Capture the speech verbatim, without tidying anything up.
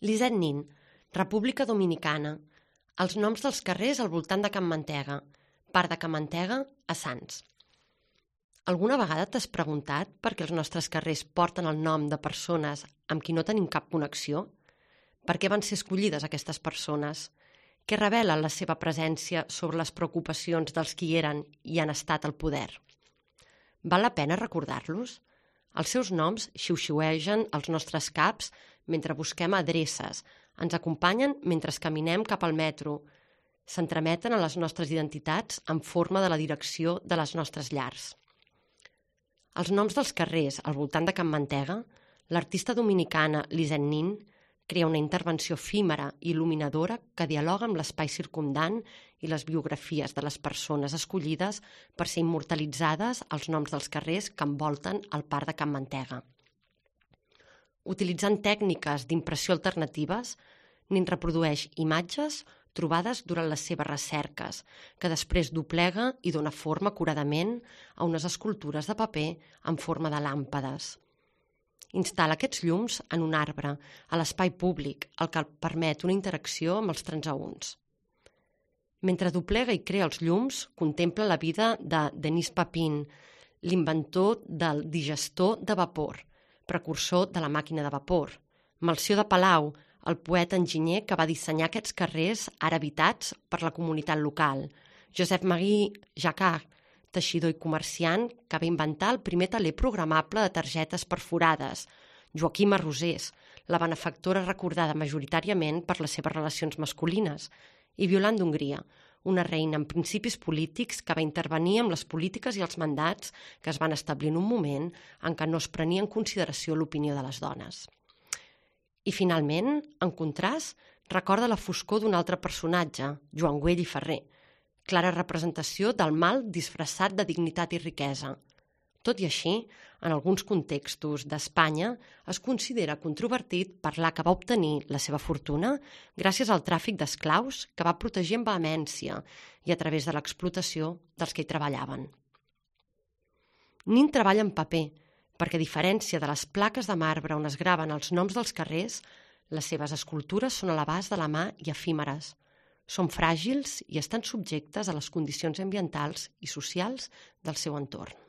Lisette Nin, República Dominicana. Els noms dels carrers al voltant de Can Mantega. Part de Can Mantega a Sants. Alguna vegada t'has preguntat per què els nostres carrers porten el nom de persones amb qui no tenim cap connexió? Per què van ser escollides aquestes persones? Què revela la seva presència sobre les preocupacions dels qui eren i han estat al poder? Val la pena recordar-los? Els seus noms xiuxiuegen als nostres caps mentre busquem adreces, ens acompanyen mentre caminem cap al metro, s'entremeten a les nostres identitats en forma de la direcció de les nostres llars. Els noms dels carrers al voltant de Can Mantega, l'artista dominicana Lisette Nin crea una intervenció efímera i il·luminadora que dialoga amb l'espai circumdant i les biografies de les persones escollides per ser immortalitzades als noms dels carrers que envolten el parc de Can Mantega. Utilitzant tècniques d'impressió alternatives, Nin reprodueix imatges trobades durant les seves recerques, que després doblega i dona forma acuradament a unes escultures de paper en forma de làmpades. Instal·la aquests llums en un arbre, a l'espai públic, el que permet una interacció amb els transeünts. Mentre doblega i crea els llums, contempla la vida de Denis Papin, l'inventor del digestor de vapor, precursor de la màquina de vapor. Melcior de Palau, el poeta enginyer que va dissenyar aquests carrers ara habitats per la comunitat local. Josep-Marie Jacquard, teixidor i comerciant que va inventar el primer teler programable de targetes perforades. Joaquima Rosés, la benefactora recordada majoritàriament per les seves relacions masculines. I Violant d'Hongria, una reina amb principis polítics que va intervenir amb les polítiques i els mandats que es van establir en un moment en què no es prenia en consideració l'opinió de les dones. I finalment, en contrast, recorda la foscor d'un altre personatge, Joan Güell i Ferrer, clara representació del mal disfressat de dignitat i riquesa. Tot i així, en alguns contextos d'Espanya es considera controvertit parlar que va obtenir la seva fortuna gràcies al tràfic d'esclaus que va protegir amb vehemència i a través de l'explotació dels que hi treballaven. Nin treballa en paper, perquè a diferència de les plaques de marbre on es graven els noms dels carrers, les seves escultures són a l'abast de la mà i efímeres. Són fràgils i estan subjectes a les condicions ambientals i socials del seu entorn.